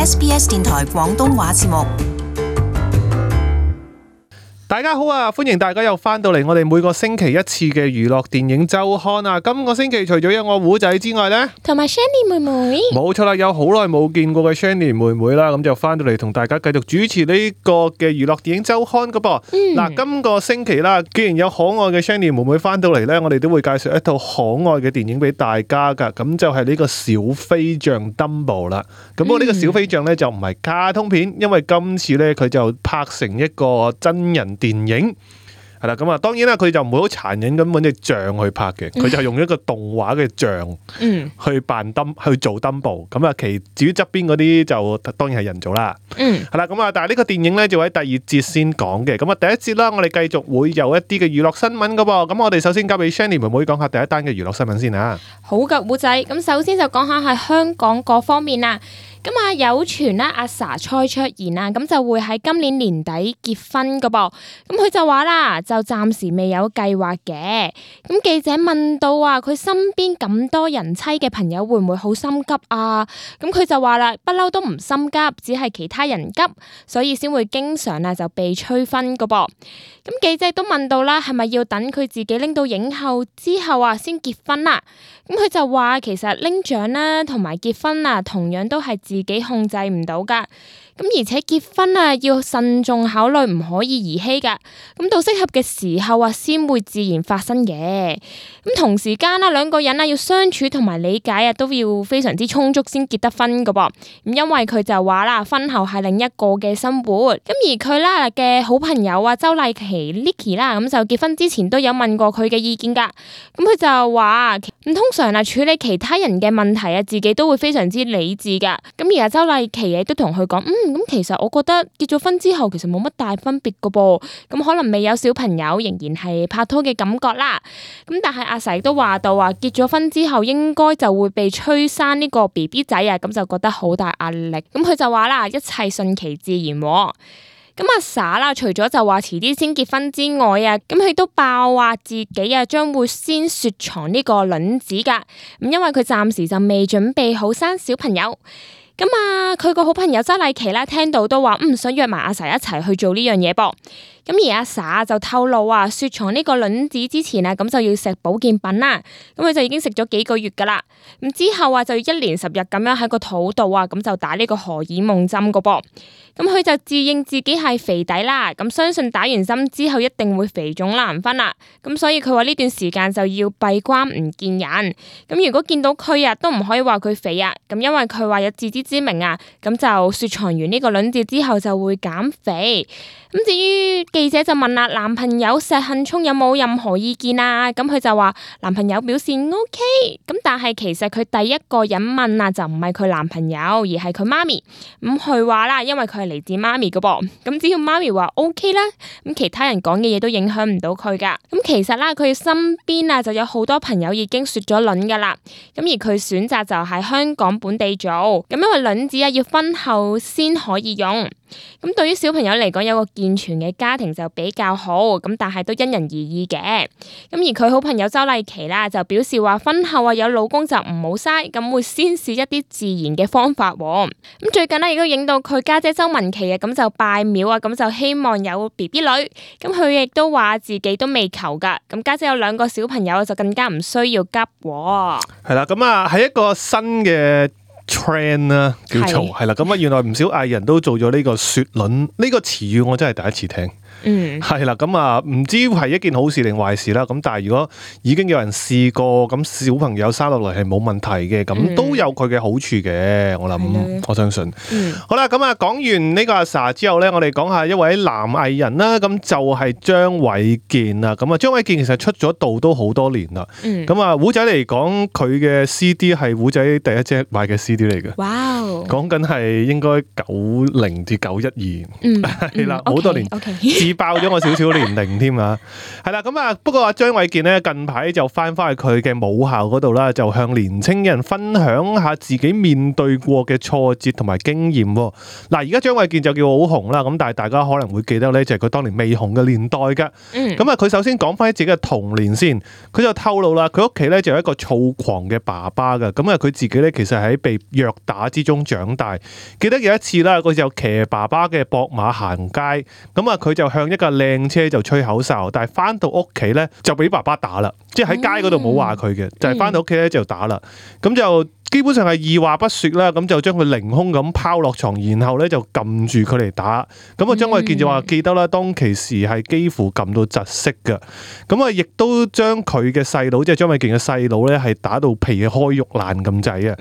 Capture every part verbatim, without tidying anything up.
S B S 電台廣東話節目。大家好啊！歡迎大家又翻到嚟我哋每個星期一次嘅娛樂電影週刊啊！今個星期除咗有我胡仔之外呢，同埋 Shanny 妹妹，冇錯啦，有好耐冇見過嘅 Shanny 妹妹啦，咁就翻到嚟同大家繼續主持呢個嘅娛樂電影週刊噶噃。嗱、嗯，今個星期啦，既然有可愛嘅 Shanny 妹妹翻到嚟呢，我哋都會介紹一套可愛嘅電影俾大家噶，咁就係呢個小飛象 Dumbo 啦。咁不過呢個小飛象呢，就唔係卡通片，因為今次呢，佢就拍成一個真人電影係啦，咁啊，當然啦，佢就唔會好殘忍咁揾隻象去拍嘅，佢就係用一個動畫嘅象去扮登去做登步，咁啊，其至於側邊嗰啲就當然係人做啦。嗯，係啦，咁啊，但係呢個電影咧就喺第二節先講嘅，咁啊，第一節啦，我哋繼續會有一啲嘅娛樂新聞噶噃，咁我哋首先交俾 Shanny 妹妹講下第一單嘅娛樂新聞先啊。好嘅，胡仔，咁首先就講下係香港嗰方面啦。咁啊，有傳啦，阿 sa 蔡卓妍啊，咁就會喺今年年底結婚噶噃。咁佢就話啦，就暫時未有計劃嘅。咁記者問到啊，佢身邊咁多人妻嘅朋友會唔會好心急啊？咁佢就話啦，不嬲都唔心急，只係其他人急，所以先會經常啊就被催婚噶噃。咁記者都問到啦，係咪要等佢自己拎到影后之後啊先結婚啊？咁佢就話其實拎獎啦同埋結婚啊，同樣都係自己控制唔到噶。咁而且結婚啊要慎重考慮，唔可以兒戲噶。咁到適合嘅時候啊，先會自然發生嘅。咁同時間啦，兩個人啊要相處同埋理解啊，都要非常之充足先結得婚噶噃。咁因為佢就話啦，婚後係另一個嘅生活。咁而佢啦嘅好朋友啊，周麗淇 Licky 啦，咁就結婚之前都有問過佢嘅意見噶。咁佢就話咁通常啊處理其他人嘅問題啊，自己都會非常之理智噶。咁而家周麗淇亦都同佢講，嗯。咁其實我覺得結咗婚之後其實冇乜大分別噶噃，咁可能未有小朋友，仍然係拍拖嘅感覺啦。咁但係阿 sa 都話到話結咗婚之後應該就會被催生呢個 B B 仔啊，咁就覺得好大壓力。咁佢就話啦，一切順其自然。咁阿 sa 啦，除咗就話遲啲先結婚之外啊，咁佢都爆話自己啊將會先雪藏呢個卵子噶。咁因為佢暫時就未準備好生小朋友。咁啊，佢個好朋友周麗淇啦，聽到都話唔想約埋阿 sa 一齊去做呢樣嘢噃。咁而阿 sa 就透露啊，雪藏呢個卵子之前啊，咁就要食保健品啦。咁佢就已經食咗幾個月噶啦。咁之後啊，就要一連十日咁樣喺個肚度啊，咁就打呢個荷爾蒙針個噃。咁佢就自認自己係肥底啦。咁相信打完針之後一定會肥腫難分啦。咁所以佢話呢段時間就要閉關唔見人。咁如果見到佢啊，都唔可以話佢肥啊。咁因為佢話有自知之明啊。咁就雪藏完呢個卵子之後就會減肥。咁至於記者就問啦，男朋友石幸聰有冇任何意見啊？咁佢就話男朋友表示 OK， 咁但係其實佢第一個人問啊，就唔係佢男朋友，而係佢媽咪。咁佢話啦，因為佢係嚟自媽咪噶噃，咁只要媽咪話 OK 啦，咁其他人講嘅嘢都影響唔到佢噶。咁其實啦，佢身邊啊就有好多朋友已經雪咗卵噶啦，咁而佢選擇就喺香港本地做，咁因為卵子啊要婚後先可以用。咁對於小朋友嚟講，有個健全嘅家庭就比較好，咁但係都因人而異嘅。咁而佢好朋友周麗淇啦，就表示話婚後啊有老公就唔好嘥，咁會先試一啲自然嘅方法。咁最近呢，亦都影到佢家姐周文琪啊，咁就拜廟啊，咁就希望有 B B 女。咁佢亦都話自己都未求噶，咁家姐有兩個小朋友就更加唔需要急。係啦，咁啊係一個新嘅trend 啦，叫做係啦，咁啊原來唔少藝人都做咗呢個雪卵呢個詞語，我真係第一次聽。嗯，係啦，咁啊，唔知係一件好事定壞事啦。咁但係如果已經有人試過，咁小朋友生落嚟係冇問題嘅，咁、嗯、都有佢嘅好處嘅。我諗，的我相信。嗯、好啦，咁啊，講完呢個阿 sa 之後咧，我哋講下一位男藝人啦。咁就係張偉健啦。咁啊，張偉健其實出咗道都好多年啦。咁啊、嗯，胡仔嚟講，佢嘅 C D 係胡仔第一隻買嘅 C D 嚟嘅。哇、哦！講緊係應該九零至九一二，係啦，好多年。Okay, okay. 自爆咗我少少年齡添啊。係啦，咁啊，不過阿張衛健咧近排就翻返去佢嘅母校嗰度啦，就向年青人分享下自己面對過嘅挫折同埋經驗。嗱，而家張衛健就叫好紅啦，咁但係大家可能會記得咧，就係佢當年未紅嘅年代噶。咁啊，佢首先講翻自己嘅童年先，佢就透露啦，佢屋企咧就有一個躁狂嘅爸爸噶，咁啊佢自己咧其實喺被虐打之中長大。記得有一次啦，佢就騎爸爸嘅駁馬行街，咁啊佢就向一架靚車就吹口哨，但係翻到屋企咧就俾爸爸打啦，即係喺街嗰度冇話佢嘅，就係翻到屋企咧就打啦，咁就基本上係二話不說啦，咁就將佢凌空咁拋落床，然後咧就撳住佢嚟打。咁啊張衛健就話記得啦，當其時係幾乎撳到窒息噶。咁啊亦都將佢嘅細佬，即係張衛健嘅細佬咧，係打到皮開肉爛咁滯啊。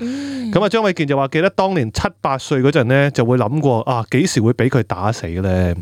咁啊張衛健就話記得當年七八歲嗰陣咧，就會諗過啊幾時會俾佢打死咧。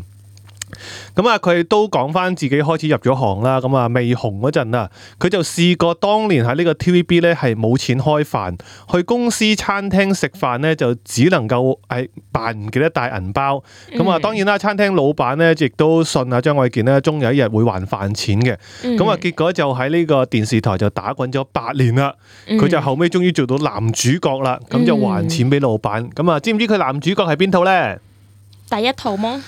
咁啊，佢都講翻自己開始入咗行啦。咁啊，未紅嗰陣啊，佢就試過當年喺呢個 T V B 咧係冇錢開飯，去公司餐廳食飯咧就只能夠係扮唔記得帶銀包。咁啊、嗯，當然啦，餐廳老闆咧亦都信啊張衛健咧，終有一日會還飯錢嘅。咁啊、嗯，結果就喺呢個電視台就打滾咗八年啦。佢、嗯、就後尾終於做到男主角啦，咁就還錢俾老闆。咁啊、嗯，知唔知佢男主角係邊套咧？第一套麼？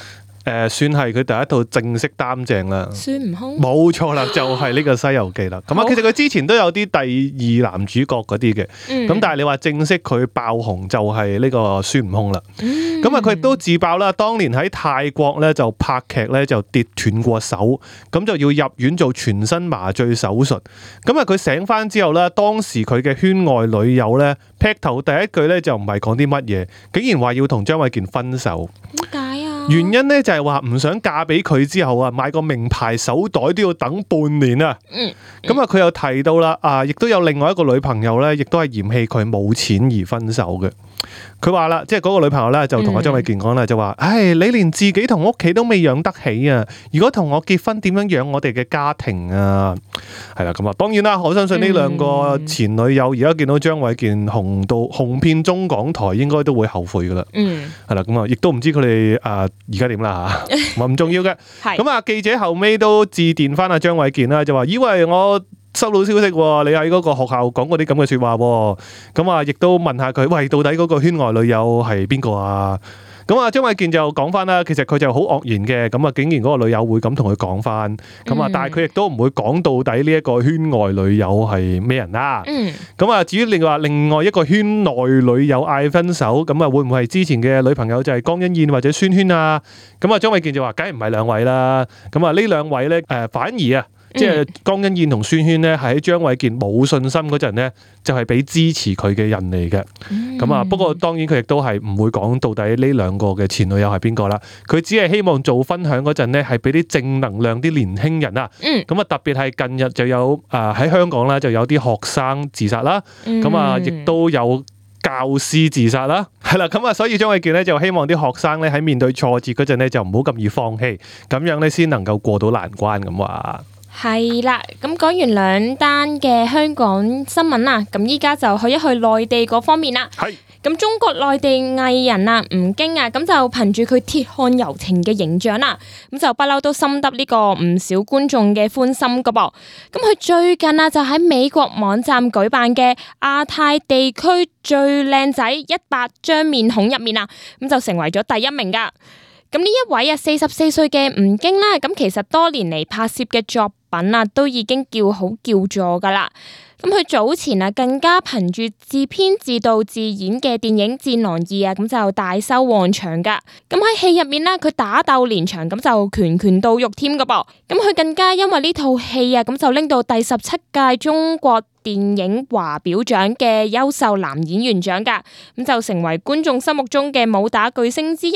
誒、呃，算係佢第一套正式擔正啦。孫悟空？冇錯啦，就係、是、呢個《西遊記》啦。咁啊，其實佢之前都有啲第二男主角嗰啲嘅，咁、嗯、但係你話正式佢爆紅就係呢個孫悟空啦。咁啊、嗯，佢亦都自爆啦，當年喺泰國咧就拍劇咧就跌斷過手，咁就要入院做全身麻醉手術。咁啊，佢醒翻之後咧，當時佢嘅圈外女友咧劈頭第一句咧就唔係講啲乜嘢，竟然話要同張衛健分手。點解啊？原因咧就係話唔想嫁俾佢之後啊，買個名牌手袋都要等半年啊。嗯。咁啊，佢又提到啦，啊，亦都有另外一個女朋友咧，亦都係嫌棄佢冇錢而分手嘅。佢話啦，即係嗰個女朋友咧就同阿張衛健講啦，就話：唉，你連自己同屋企都未養得起啊！如果同我結婚，點樣養我哋嘅家庭啊？係啦，咁啊，當然啦，我相信呢兩個前女友而家見到張衛健紅到紅遍中港台，應該都會後悔噶啦。嗯，係啦，咁啊，亦都唔知佢哋啊而家點啦吓，唔重要嘅。咁啊，記者後尾都致電翻阿張衛健啦，就話：以為我收到消息，你喺嗰個學校講過啲咁嘅說話，咁啊，亦都問下佢，喂，到底嗰個圈外女友係邊個啊？咁啊，張衛健就講翻啦，其實佢就好愕然嘅，咁啊，竟然嗰個女友會咁同佢講翻，咁啊，但係佢亦都唔會講到底呢一個圈外女友係咩人啦。咁啊，至於另外另外一個圈內女友嗌分手，咁啊，會唔會係之前嘅女朋友就係江欣燕或者宣萱啊？咁啊，張衛健就話，梗係唔係兩位啦。咁啊，呢兩位咧，誒，反而啊。即係江欣燕同宣萱咧，係喺張衛健冇信心嗰陣咧，就係俾支持佢嘅人嚟嘅。咁啊、嗯，不過當然佢亦都係唔會講到底呢兩個嘅前女友係邊個啦。佢只係希望做分享嗰陣咧，係俾啲正能量啲年輕人啊。咁啊、嗯，特別係近日就有啊喺香港啦，就有啲學生自殺啦。咁啊、嗯，亦都有教師自殺啦。係啦，咁啊，所以張衛健咧就希望啲學生咧喺面對挫折嗰陣咧，就唔好咁易放棄，咁樣咧先能夠過到難關咁話。係啦，咁講完兩單嘅香港新聞啦，咁依家就去一去內地嗰方面啦。係。咁中國內地藝人啊，吳京啊，咁就憑住佢鐵漢柔情嘅形象啦，咁就不嬲都深得呢個唔少觀眾嘅歡心噶噃。咁佢最近啊就喺美國網站舉辦嘅亞太地區最靚仔一百張面孔入面啊，咁就成為咗第一名噶。咁呢一位啊四十四歲嘅吳京啦，咁其實多年嚟拍攝嘅作品啊，都已經叫好叫座噶啦。咁佢早前啊，更加憑住自編自導自演嘅電影《戰狼二》啊，咁就大收旺場噶。咁喺戲入面呢，佢打鬥連場，咁就拳拳到肉添噶噃。咁佢更加因為呢套戲啊，咁就拎到第十七屆中國電影華表獎嘅優秀男演員獎噶，咁就成為觀眾心目中嘅武打巨星之一。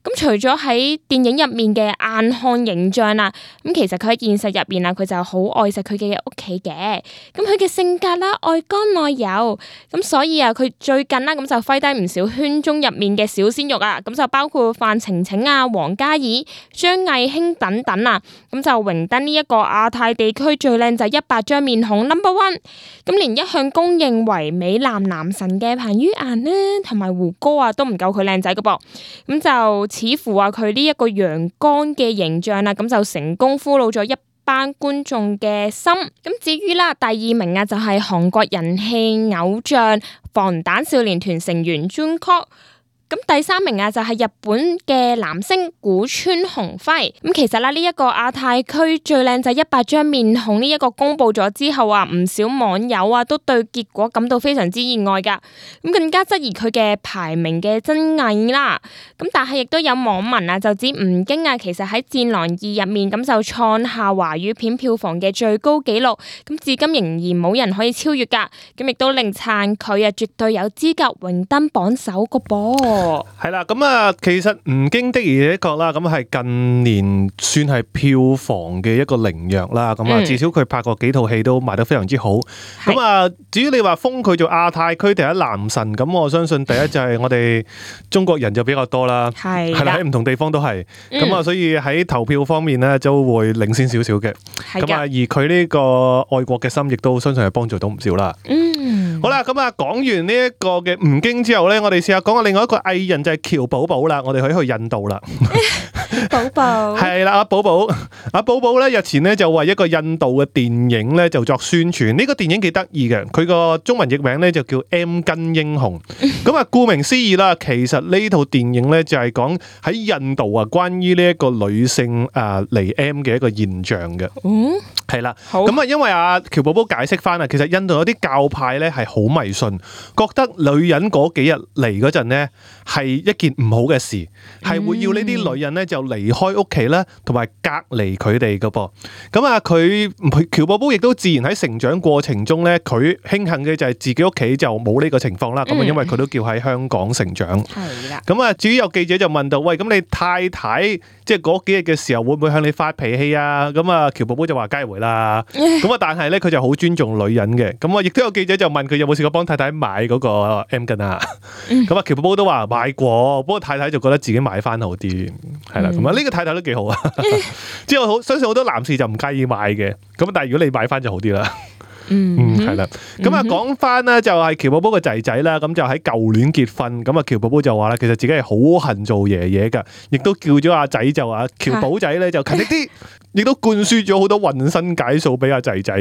咁除咗喺電影入面嘅硬漢形象啦，咁其實佢喺現實入面啊，佢就好愛錫佢嘅屋企嘅。咁佢嘅性格啦，愛剛內柔，咁所以啊，佢最近啦咁就揮低唔少圈中入面嘅小鮮肉啊，咁就包括范晴晴啊、王嘉爾、張藝興等等啊，咁就榮登呢一個亞太地區最靚仔一百張面孔 number one。咁連一向公認為美男男神嘅彭于晏呢，同埋胡歌啊，都唔夠佢靚仔噶噃。咁就似乎話佢呢一個陽剛嘅形象啦，咁就成功俘虜咗一班觀眾嘅心。咁至於啦，第二名啊就係韓國人氣偶像防彈少年團成員 Jungkook。咁第三名啊就係日本嘅男星古川雄輝。咁其實啦，呢一個亞太區最靚仔一百張面孔呢一個公布咗之後啊，唔少網友啊都對結果感到非常之意外噶，咁更加質疑佢嘅排名嘅真偽啦。咁但係亦都有網民啊就指吳京啊，其實喺《戰狼二》入面咁就創下華語片票房嘅最高紀錄，咁至今仍然冇人可以超越噶，咁亦都令撐佢啊絕對有資格榮登榜首個噃。係啦，咁啊，其實吳京的而且確啦，咁係近年算係票房嘅一個靈藥啦。咁啊、嗯，至少佢拍過幾套戲都賣得非常之好。咁啊，至於你話封佢做亞太區第一男神，咁我相信第一就係我哋中國人就比較多啦，係係啦，喺唔同地方都係。咁啊、嗯，所以喺投票方面咧，就會領先少少嘅。咁啊，而佢呢個愛國嘅心，亦都相信係幫助到唔少啦。嗯，好啦，咁啊，講完呢一個嘅吳京之後咧，我哋試下講下另外一個藝人就係喬寶寶啦，我哋可以去印度啦。寶寶係啦，阿寶寶，阿寶寶咧日前咧就為一個印度嘅電影咧就作宣傳。呢個電影幾得意嘅，佢個中文譯名咧就叫 M 巾英雄。咁啊，顧名思義啦，其實呢套電影咧就係講喺印度啊，關於呢一個女性誒嚟 M 嘅一個現象嘅。嗯，係啦。咁啊，因為阿喬寶寶解釋翻啊，其實印度有啲教派咧係好迷信，覺得女人嗰幾日嚟嗰陣咧係一件唔好嘅事，係會要呢啲女人咧就離開屋企啦，同埋隔離佢哋噶噃。咁啊，佢喬寶寶亦都自然喺成長過程中咧，佢慶幸嘅就係自己屋企就冇呢個情況啦。咁啊，因為佢都叫喺香港成長。係啦。咁啊，至於有記者就問到，喂，咁你太太即係嗰幾日嘅時候會唔會向你發脾氣啊？咁啊，喬寶寶就話梗係會啦。咁啊，但係咧佢就好尊重女人嘅。咁啊，亦都有記者就問佢有冇試過幫太太買嗰個 M 巾啊？咁啊，喬寶寶都話買過，不過太太就覺得自己買翻好啲，係啦。咁啊，呢個太太都幾好啊。之後好相信好多男士就唔介意買嘅，咁但係如果你買翻就好啲啦。嗯，係啦。咁啊，講翻咧就係喬寶寶個仔仔啦，咁就喺舊年結婚。咁啊，喬寶寶就話啦，其實自己係好恨做爺爺噶，亦都叫咗阿仔就話喬寶仔咧就勤力啲。亦都灌輸咗好多渾身解數俾阿仔仔，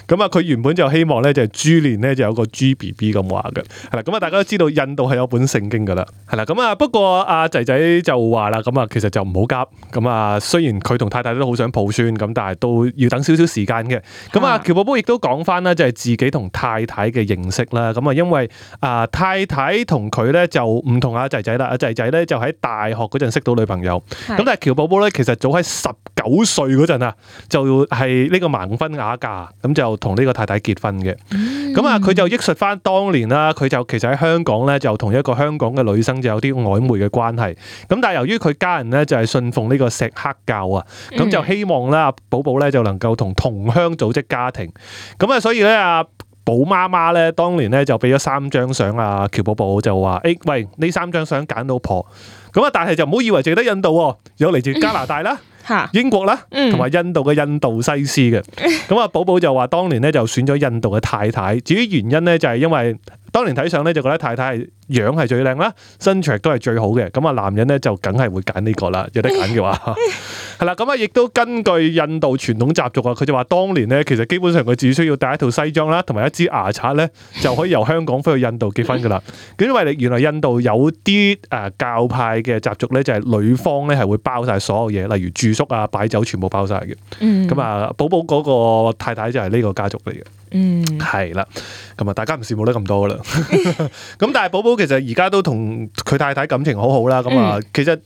咁啊佢原本就希望咧就係豬年咧就有個豬 B B 咁話嘅，係啦，咁啊大家都知道印度係有本聖經噶啦，係啦，咁啊不過阿仔仔就話啦，咁啊其實就唔好急，咁啊雖然佢同太太都好想抱孫，咁但係都要等少少時間嘅，咁啊喬寶寶亦都講翻啦，就係自己同太太嘅認識啦，咁啊因為啊太太同佢咧就唔同阿仔仔啦，阿仔仔咧就喺大學嗰陣識到女朋友，咁但係喬寶寶咧其實早喺十九歲嗰陣啊，就係呢個盲婚啞嫁，咁就同呢個太太結婚嘅。咁啊，佢就憶述翻當年啦，佢就其實喺香港咧，就同一個香港嘅女生就有啲曖昧嘅關係。咁但係由於佢家人咧就係信奉呢個錫克教啊，咁就希望咧寶寶咧就能夠同同鄉組織家庭。咁啊，所以咧阿寶媽媽咧當年咧就俾咗三張相啊，喬寶寶就話：誒，喂，呢三張相揀老婆。咁啊，但係就唔好以為淨得印度喎，有嚟自加拿大啦。英國啦，同埋印度嘅印度西施嘅，咁啊寶寶就話當年咧就選咗印度嘅太太，至於原因咧就係因為當年睇相咧就覺得太太係樣係最靚啦，身材都係最好嘅，咁啊男人咧就梗係會揀呢個啦，有得揀嘅話，係啦，咁啊亦都根據印度傳統習俗啊，佢就話當年咧其實基本上佢只需要帶一套西裝啦，同埋一支牙刷咧就可以由香港飛去印度結婚噶啦，因為原來印度有啲誒教派嘅習俗咧就係女方咧係會包晒所有嘢，例如住宿啊、擺酒全部包晒嘅，咁啊寶寶嗰個太太就係呢個家族嚟嘅，嗯，係啦，咁啊大家唔羨慕得咁多噶啦，咁但係寶寶其實而家都同佢太太感情好好啦，咁啊其實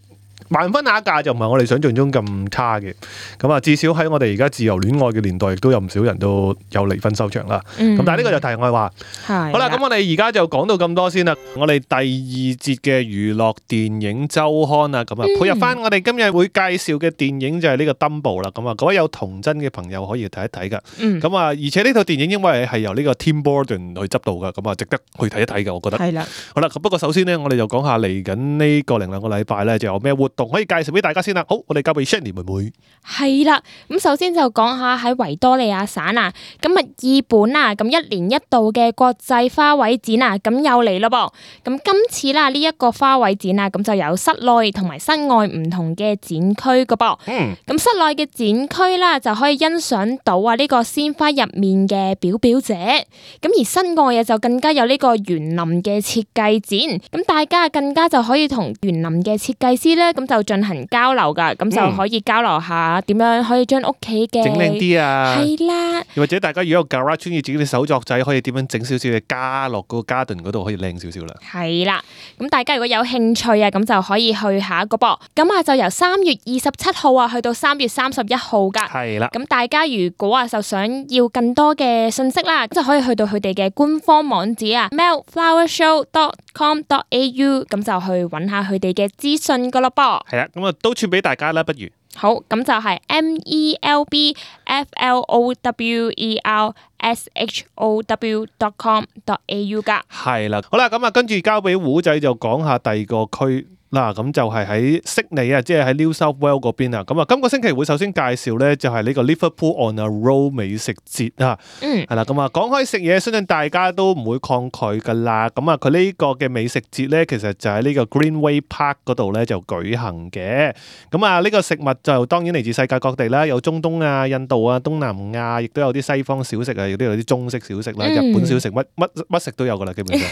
盲婚啞嫁就唔係我哋想象中咁差嘅，咁啊至少喺我哋而家自由戀愛嘅年代，亦都有唔少人都有離婚收場啦。咁、嗯、但係呢個就題外話。好啦，咁我哋而家就講到咁多先啦。我哋第二節嘅娛樂電影週刊啊，咁啊配合翻我哋今日會介紹嘅電影就係呢個 Dumbo 啦。咁啊，各位有童真嘅朋友可以睇一睇噶。咁、嗯、啊，而且呢套電影因為係由呢個 Tim Burton 去執導噶，咁啊值得去睇一睇嘅，我覺得。係啦。好啦，不過首先呢，我哋就講下嚟緊呢個零兩個禮拜咧，就有咩活動動可以介紹俾大家先啦。好，我哋交俾 Shani 妹妹。係啦，咁首先就講下喺維多利亞省啊，咁啊二本啊，咁一年一度嘅國際花卉展啊，咁又嚟咯噃。咁今次啦呢一個花卉展啊，咁就有室內同埋室外唔同嘅展區噶噃。嗯，咁室內嘅展區啦，就可以欣賞到啊呢個鮮花入面嘅表表者。咁而室外啊就更加有呢個園林嘅設計展，咁大家更加就可以同園林嘅設計師咧，咁就進行交流噶，咁就可以交流下點樣可以將屋企嘅整靚啲啊，係啦，又或者大家如果有 garage 中意自己啲手作仔，可以點樣整少少嘅加落嗰個 garden 嗰度，可以靚少少啦。係啦，咁大家如果有興趣啊，咁就可以去下一個噃。咁啊就由三月二十七號啊去到三月三十一號噶。係啦，咁大家如果啊就想要更多嘅信息啦，就可以去到佢哋嘅官方網址啊 melt flower show dot com dot a u， 咁就去揾下佢哋嘅資訊噶咯噃。係啦，咁啊都串俾大家啦，不如。好，咁就係 M E L B F L O W E R S H O W dot com dot A U 噶。係啦，好啦，咁啊跟住交俾胡仔就講下第二個區。嗱，咁就係喺悉尼啊，即係喺 New South Wales 嗰邊啊。咁啊，今個星期會首先介紹咧，就係呢個 Liverpool on a Road 美食節啊。嗯，係啦，咁啊，講開食嘢，相信大家都唔會抗拒噶啦。咁啊，佢呢個嘅美食節咧，其實就喺呢個 Greenway Park 嗰度咧就舉行嘅。咁啊，呢個食物就當然嚟自世界各地啦，有中東啊、印度啊、東南亞，亦都有啲西方小食啊，亦都有啲中式小食啦、日本小食，乜乜乜食都有噶啦，基本上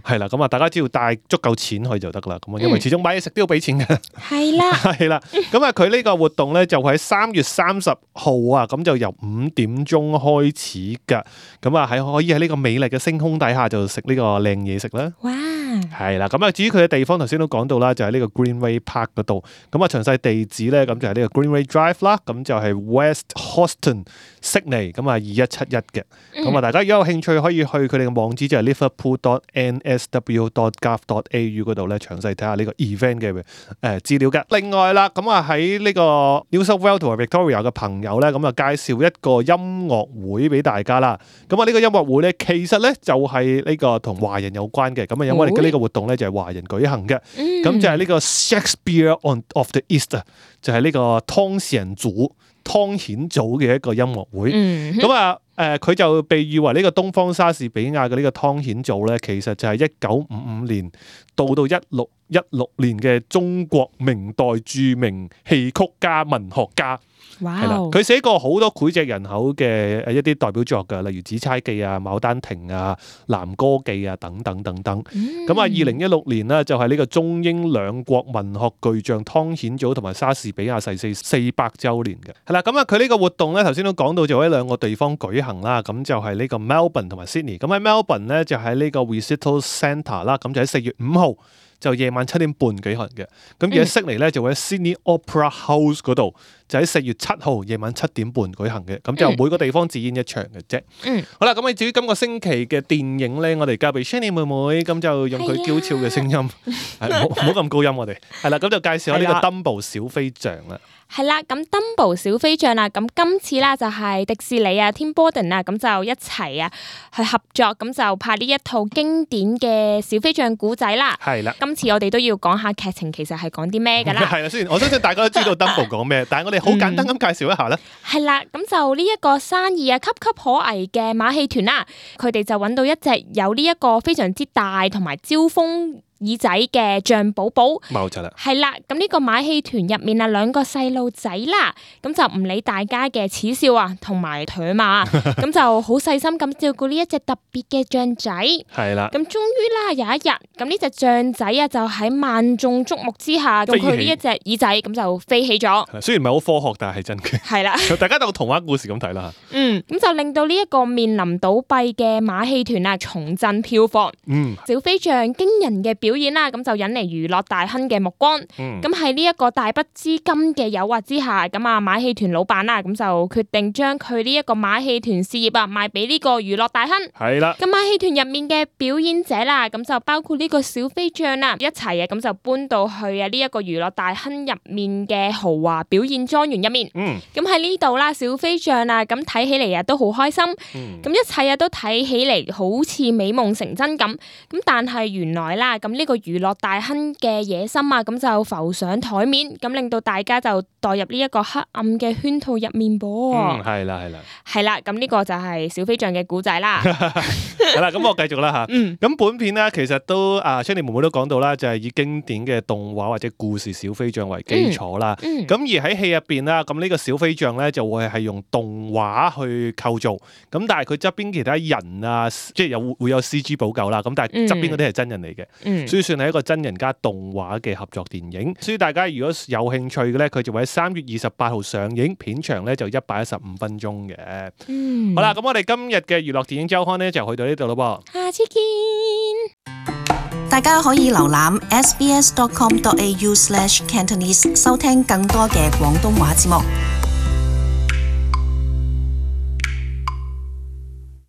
係啦。咁啊，大家只要帶足夠錢去就得啦。咁啊，因為始終買嘢食都要俾錢嘅，係啦，係啦。咁啊，佢呢個活動咧就喺三月三十號啊，咁就由五點鐘開始噶。咁啊，喺可以喺呢個美麗嘅星空底下就食呢個靚嘢食啦。哇！係啦，咁啊，至於佢嘅地方，頭先都講到啦，就喺呢個 Greenway Park 嗰度。咁啊，詳細地址咧，咁就係呢個 Greenway Drive 啦。咁就係 West Houston 悉尼，咁啊二一七一嘅。咁啊，大家如果有興趣，可以去佢哋嘅網址，就係 liverpool dot n s w dot gov dot a u 嗰度咧，詳細睇下呢個 event 嘅誒資料嘅。另外啦，咁啊喺呢個 New South Wales 同埋 Victoria 嘅朋友咧，咁啊介紹一個音樂會俾大家啦。咁啊呢個音樂會咧，其實咧就係呢個同華人有關嘅。咁啊，因為我哋呢個活動咧就係華人舉行嘅。咁、嗯、就係呢個 Shakespeare on of the East，就係呢個湯顯祖湯顯祖嘅一個音樂會。咁啊、嗯。誒佢、呃、就被譽為呢個東方莎士比亞嘅呢個湯顯祖咧，其實就係一九五五年到到一六一六年嘅中國明代著名戲曲家、文學家。哇！係啦，佢寫過好多膾炙人口嘅誒一啲代表作㗎，例如《紫釵記》啊、《牡丹亭》啊、《南歌記》啊等等等等。咁啊、嗯，二零一六年呢，就係呢個中英兩國文學巨匠湯顯祖同埋莎士比亞逝世四百週年嘅。係啦，咁啊，佢呢個活動咧，頭先都講到就喺兩個地方舉行啦。咁就係呢個 Melbourne 同埋 Sydney。咁喺 Melbourne 咧就喺呢個 Recital Centre 啦。咁就喺四月五號。就夜晚七點半舉行嘅，咁而喺悉尼咧就會喺 Sydney Opera House 嗰度，就喺四月七號夜晚七點半舉行嘅，咁就每個地方只演一場嘅啫。嗯，好啦，咁啊至於今個星期嘅電影咧，我哋交俾 Shani 妹妹，咁就用佢嬌俏嘅聲音，係唔好咁高音我哋，係啦，咁就介紹下呢個 Dumbo 小飛象啦。係啦，咁 Dumbo 小飛象啦，咁今次啦就係迪士尼啊、Tim Burton 啊，咁就一齊啊去合作，咁就拍呢一套經典嘅小飛象古仔啦。係啦，今次我哋都要講下劇情，其實係講啲咩噶啦。係啦，雖然我相信大家都知道 Dumbo 講咩，但係我哋好簡單咁介紹一下咧。係啦、嗯，咁就呢一個生意啊，岌岌可危嘅馬戲團啦，佢哋就揾到一隻有呢一個非常之大同埋招風耳仔嘅象寶寶，冇錯啦，係啦，咁呢個馬戲團入面啊，兩個細路仔啦，咁就唔理大家嘅恥笑啊，同埋唾罵，咁就好細心咁照顧呢一隻特別嘅象仔，係啦，咁終於啦有一日，咁呢隻象仔啊就喺萬眾矚目之下，用佢呢一隻耳仔咁就飛起咗，雖然唔係好科學，但係係真嘅，係啦，大家當童話故事咁睇啦，嗯，咁就令到呢一個面臨倒閉嘅馬戲團啊重振票房，嗯，小飛象驚人嘅表演啦，咁就引嚟娛樂大亨嘅目光。咁喺呢一個大筆資金嘅誘惑之下，咁啊馬戲團老闆啦，咁就決定將佢呢一個馬戲團事業啊賣俾呢個娛樂大亨。係啦，咁馬戲團入面嘅表演者啦，咁就包括呢個小飛象啦，一齊啊咁就搬到去啊呢一個娛樂大亨入面嘅豪華表演莊園入面。嗯，咁喺呢度啦，小飛象啊，咁睇起嚟啊都好開心。嗯，咁一切啊都睇起嚟好似美夢成真咁。咁但係原來啦，咁呢呢個娛樂大亨嘅野心啊，咁就浮上台面，咁令到大家就代入呢一個黑暗嘅圈套入面噃。嗯，係啦，係啦，係啦，咁呢個就係小飛象嘅故仔啦。係啦，咁我繼續啦吓。嗯，咁本片咧其實都啊 Shandy 妹妹都講到啦，就係以經典嘅動畫或者故事小飛象為基礎啦。嗯，咁而喺戲入邊啦，咁呢個小飛象咧就會係用動畫去構造，咁但係佢側邊其他人啊，即係有會有 C G 補救啦。咁但係側邊嗰啲係真人嚟嘅，嗯，所以算係一個真人加動畫嘅合作電影。所以大家如果有興趣嘅咧，佢就會喺三月二十八號上映，片長咧就一百一十五分鐘嘅。嗯，好啦，咁我哋今日嘅娛樂電影週刊咧就去到呢度咯噃。下次見。大家可以瀏覽 s b s dot com dot a u slash cantonese 收聽更多嘅廣東話節目。